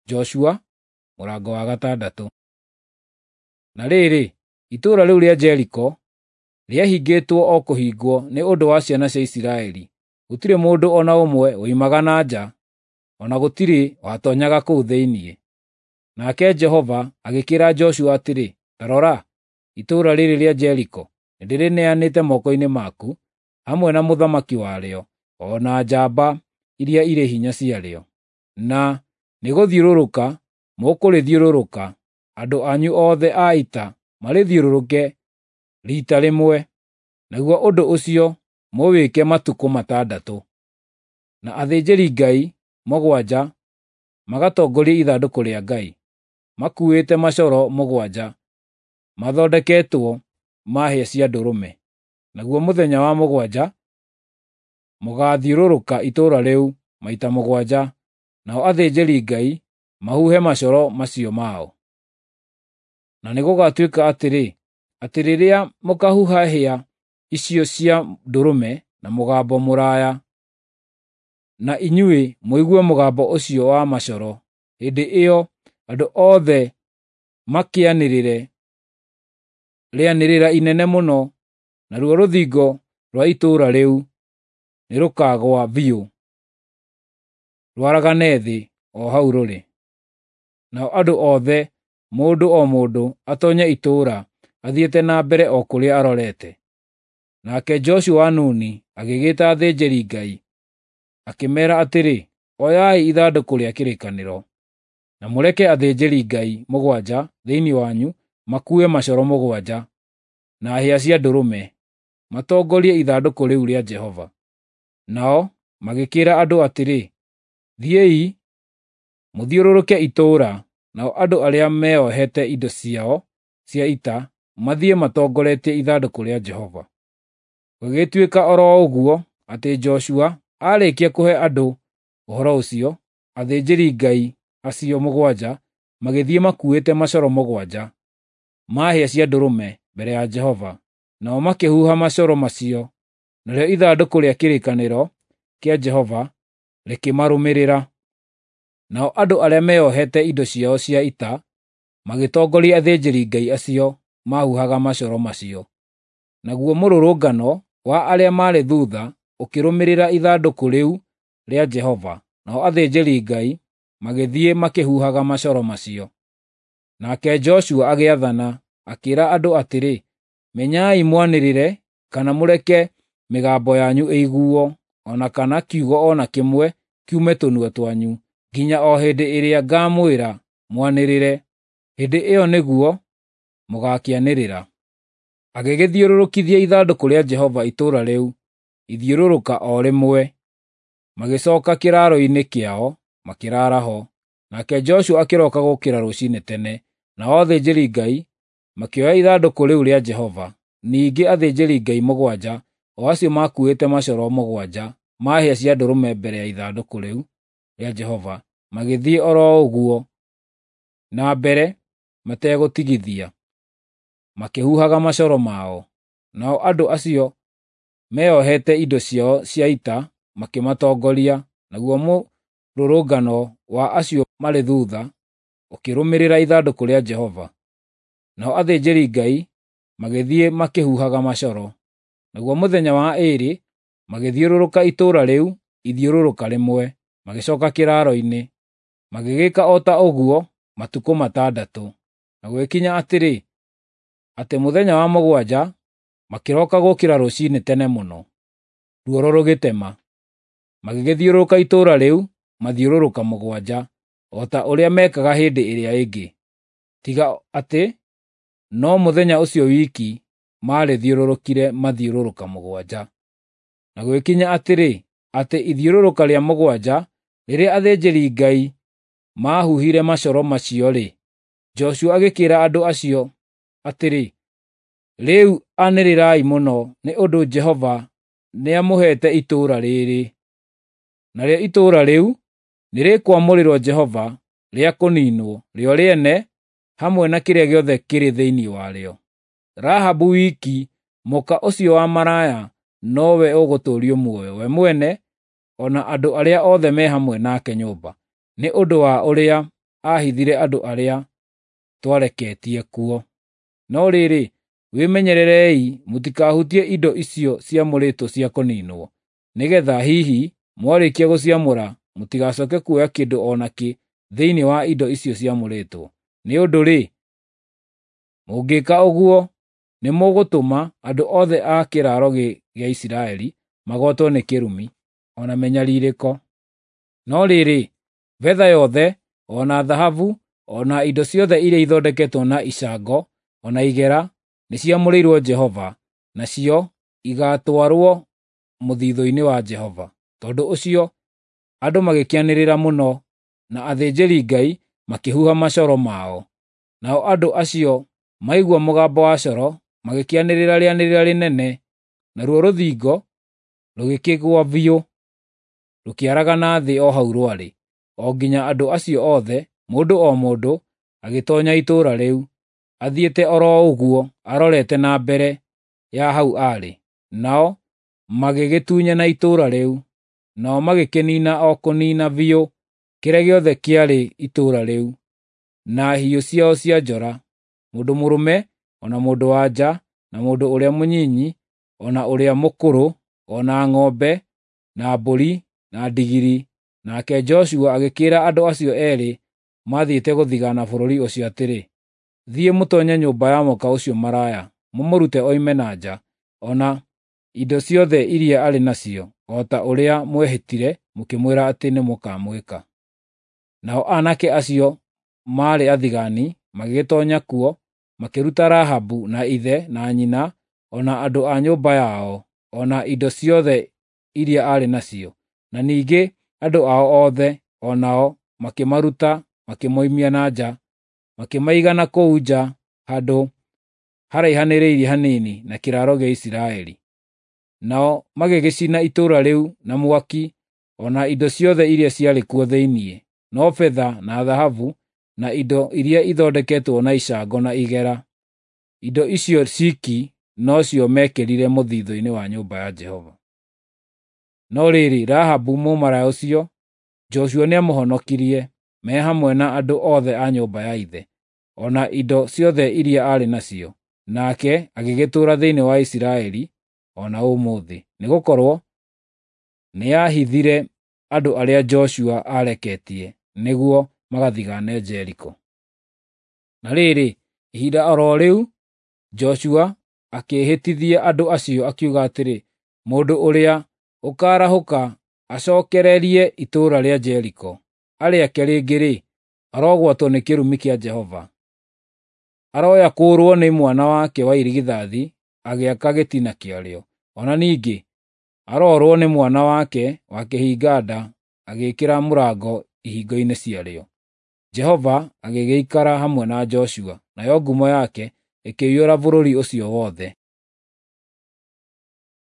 Joshua mũrango wa gatandatũ. Na rĩrĩ, itũũra rĩu rĩa Jeriko rĩahingĩtwo o kũhingwo nĩ ũndũ wa ciana cia Isiraeli. Gũtirĩ mũndũ o na ũmwe woimaga na nja, o na gũtirĩ watoonyaga kũu thĩinĩ. Nake Jehova agĩkĩĩra Joshua atĩrĩ, “Ta rora, itũũra rĩrĩ rĩa Jeriko nĩndĩrĩneanĩte moko-inĩ maku, hamwe na mũthamaki warĩo, o na njamba iria irĩ hinya ciarĩo. Na nĩgũthiũrũrũka mũkũrĩthiũrũrũka, andũ anyu othe a ita marĩthiũrũrũke riita rĩmwe, naguo ũndũ ũcio mũwĩke matukũ matandatũ. Na athĩnjĩri-Ngai 7 magatongorie ithandũkũ rĩa Ngai, makuuĩte macoro 7 mathondeketwo ma hĩa cia ndũrũme. Naguo mũthenya wa 7 mũgaathiũrũrũka itũũra rĩu maita 7, nao athĩnjĩri-Ngai mahuhe macoro macio mao. Na nĩgũgatuĩka atĩrĩ, atĩ rĩrĩa mũkaahuha hĩa icio cia ndũrũme na mũgambo mũraaya, na inyuĩ mũigue mũgambo ũcio wa macoro, hĩndĩ ĩyo andũ othe makĩanĩrĩre rĩanĩrĩra inene mũno, naruo rũthingo rwa itũũra rĩu nĩrũkagũa biũ, rwaragane thĩ o hau rũrĩ. Nao andũ othe, mũndũ o mũndũ, atoonye itũũra, athiĩte na mbere o kũrĩa arorete. Nake Joshua wa Nuni agĩgĩĩta athĩnjĩri-Ngai, akĩmeera atĩrĩ, “Oyai ithandũkũ rĩa kĩrĩkanĩro, na mũreke athĩnjĩri-Ngai 7 thĩinĩ wanyu makuue macoro 7 na hĩa cia ndũrũme, matongorie ithandũkũ rĩu rĩa Jehova.” Nao magĩkĩĩra andũ atĩrĩ, “Thiĩi, mũthiũrũrũke itũũra,” nao andũ arĩa meeohete indo ciao cia ita mathiĩ matongoretie ithandũkũ rĩa Jehova. Gũgĩtuĩka o ro ũguo atĩ Joshua aarĩkia kũhe andũ ũhoro ũcio, athĩnjĩri-Ngai acio 7 magĩthiĩ makuuĩte macoro 7 ma hĩa cia ndũrũme mbere ya Jehova, nao makĩhuha macoro macio, narĩo ithandũkũ rĩa kĩrĩkanĩro kĩa Jehova rĩkĩmarũmĩrĩra. Nao andũ arĩa meeohete indo ciao cia ita magĩtongoria athĩnjĩri-Ngai acio maahuhaga macoro macio. Naguo mũrũrũngano wa arĩa maarĩ thuutha ũkĩrũmĩrĩra ithandũkũ rĩu rĩa Jehova, nao athĩnjĩri-Ngai magĩthiĩ makĩhuhaga macoro macio. Nake Joshua agĩathana, akĩĩra andũ atĩrĩ, “Menyai mwanĩrĩre kana mũreke mĩgambo yanyu ĩiguo, o na kana kiugo o na kĩmwe kiume tũnua twanyu, nginya o hĩndĩ ĩrĩa ngaamwĩra mwanĩrĩre. Hĩndĩ ĩyo nĩguo mũgaakĩanĩrĩra.” Agĩgĩthiũrũrũkithia ithandũkũ rĩa Jehova itũũra rĩu ithiũrũrũka o rĩmwe, magĩcooka kĩraaro-inĩ kĩao makĩraara ho. Nake Joshua akĩroka gũũkĩra rũciinĩ tene, nao athĩnjĩri-Ngai makĩoya ithandũkũ rĩu rĩa Jehova. Ningĩ athĩnjĩri-Ngai 7, o acio maakuuĩte macoro 7 ma hĩa cia ndũrũme mbere ya ithandũkũ rĩu rĩa Jehova, magĩthiĩ o ro ũguo na mbere mategũtigithia, makĩhuhaga macoro mao. Nao andũ acio meeohete indo ciao cia ita makĩmatongoria, naguo mũrũrũngano wa acio marĩ thuutha ũkĩrũmĩrĩra ithandũkũ rĩa Jehova. Nao athĩnjĩri-Ngai magĩthiĩ makĩhuhaga macoro. Naguo mũthenya wa ĩĩrĩ magĩthiũrũrũka itũũra rĩu ithiũrũrũka rĩmwe, magĩcooka kĩraaro-inĩ. Magĩgĩka o ta ũguo matukũ matandatũ. Na gũgĩkinya atĩrĩ, atĩ mũthenya wa 7 makĩroka gũũkĩra rũciinĩ tene mũno, ruoro rũgĩtema. Magĩgĩthiũrũrũka itũũra rĩu mathiũrũrũka 7, o ta ũrĩa meekaga hĩndĩ ĩrĩa ĩngĩ, tiga atĩ no mũthenya ũcio wiki maarĩthiũrũrũkire mathiũrũrũka 7. Na gũgĩkinya atĩrĩ, atĩ ithiũrũrũka rĩa 7, rĩrĩa athĩnjĩri-Ngai maahuhire macoro macio-rĩ, Joshua agĩkĩĩra andũ acio atĩrĩ, “Rĩu anĩrĩrai mũno, nĩ ũndũ Jehova nĩamũheete itũũra rĩĩrĩ. Narĩo itũũra rĩu nĩrĩkwamũrĩrwo Jehova rĩa kũniinwo, rĩo rĩene hamwe na kĩrĩa gĩothe kĩrĩ thĩinĩ warĩo. Rahabu wiki, mũka ũcio wa maraya, nowe ũgũtũũrio muoyo, we mwene o na andũ arĩa othe me hamwe nake nyũmba, nĩ ũndũ wa ũrĩa aahithire andũ arĩa twareketie kuo. No rĩrĩ, wĩmenyererei mũtikahutie indo icio ciamũrĩtwo cia kũniinwo, nĩgeetha hihi mwarĩkia gũciamũra mũtigacoke kuoya kĩndũ o nakĩ thĩinĩ wa indo icio ciamũrĩtwo. Nĩ ũndũ-rĩ, mũngĩka ũguo nĩmũgũtũma andũ othe a kĩraaro gĩa Isiraeli magwatwo nĩ kĩrumi, o na mĩnyarirĩko. No rĩrĩ, betha yothe, o na thahabu, o na indo ciothe iria ithondeketwo na icango, o na igera, nĩciamũrĩirwo Jehova, nacio igaatwarwo mũthithũ-inĩ wa Jehova. Tondũ ũcio andũ magĩkĩanĩrĩra mũno, na athĩnjĩri-Ngai makĩhuha macoro mao. Nao andũ acio maigua mũgambo wa coro magĩkĩanĩrĩra rĩanĩrĩra rĩnene, naruo rũthingo rũgĩkĩgũa biũ, rũkĩaragana thĩ o hau rwarĩ, o nginya andũ acio othe, mũndũ o mũndũ, agĩtoonya itũũra rĩu, athiĩte o ro ũguo arorete na mbere ya hau aarĩ. Nao magĩgĩtunyana itũũra rĩu, nao magĩkĩniina o kũniina biũ kĩrĩa gĩothe kĩarĩ itũũra rĩu, na hiũ ciao cia njora, mũndũ mũrũme, o na mũndũ-wa-nja, na mũndũ ũrĩa mũnyinyi, o na ũrĩa mũkũrũ, o na ng'ombe, na mbũri, na ndigiri. Nake Joshua agĩkĩĩra andũ acio eerĩ maathiĩte gũthigaana bũrũri ũcio atĩrĩ, “Thiĩ mũtoonye nyũmba ya mũka ũcio maraya, mũmũrute oime na nja, o na indo ciothe iria arĩ nacio, o ta ũrĩa mwehĩtire mũkĩmwĩra atĩ nĩmũkamwĩka.” Nao aanake acio maarĩ athigaani magĩgĩtoonya kuo, makĩruta Rahabu na ithe na nyina, o na andũ a nyũmba yao, o na indo ciothe iria aarĩ nacio. Na ningĩ andũ ao othe, o nao makĩmaruta makĩmoimia na nja, makĩmaiga na kũu nja handũ haraihanĩrĩirie hanini na kĩraaro gĩa Isiraeli. Nao magĩgĩcina itũũra rĩu na mwaki, o na indo ciothe iria ciarĩ kuo thĩinĩ, no betha na thahabu, na indo iria ithondeketwo na icango na igera. Indo icio ciki nocio meekĩrire mũthithũ-inĩ wa nyũmba ya Jehova. No rĩrĩ, Rahabu mũmaraya ũcio, Joshua nĩamũhonokirie, me hamwe na andũ othe a nyũmba ya ithe, o na indo ciothe iria aarĩ nacio. Nake agĩgĩtũũra thĩinĩ wa Isiraeli o na ũmũthĩ, nĩgũkorwo nĩahithire andũ arĩa Joshua aareketie nĩguo magathigaane Jeriko. Na rĩrĩ, ihinda o ro rĩu Joshua akĩĩhĩtithia andũ acio akiuga atĩrĩ, “Mũndũ ũrĩa ũkaarahũka acookererie itũũra rĩa Jeriko, arĩake rĩngĩ-rĩ, arogwatwo nĩ kĩrumi kĩa Jehova. Aroya kũũrwo nĩ mwana wake wa irigithathi agĩaka gĩtina kĩarĩo. O na ningĩ aroorwo nĩ mwana wake wa kĩhinga-nda agĩĩkĩra mũrango ihingo-inĩ ciarĩo.” Jehova agĩgĩikara hamwe na Joshua, nayo ngumo yake ĩkĩiyũra bũrũri ũcio wothe.